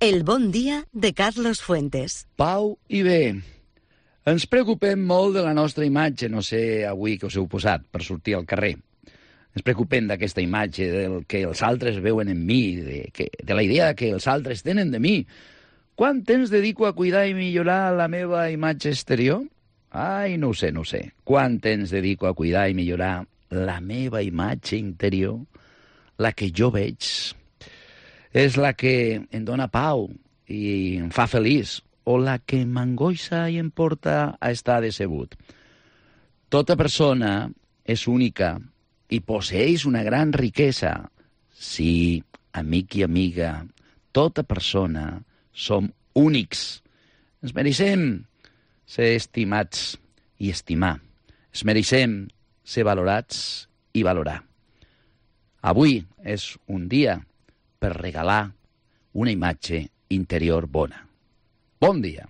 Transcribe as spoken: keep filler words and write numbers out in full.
El bon dia de Carlos Fuentes. Pau i bé. Ens preocupem molt de la nostra imatge, no sé avui que us heu posat per sortir al carrer. Ens preocupem d'aquesta imatge, del que els altres veuen en mi, de, que, de la idea que els altres tenen de mi. Quant temps dedico a cuidar i millorar la meva imatge exterior? Ai, no ho sé, no ho sé. Quant temps dedico a cuidar i millorar la meva imatge interior? La que jo veig. És la que em dóna pau i em fa feliç, o la que m'angoixa i em porta a estar decebut. Tota persona és única i posseeix una gran riquesa. Sí, amic i amiga, tota persona som únics. Ens mereixem ser estimats i estimar. Ens mereixem ser valorats i valorar. Avui és un dia per regalar una imatge interior bona. Bon dia.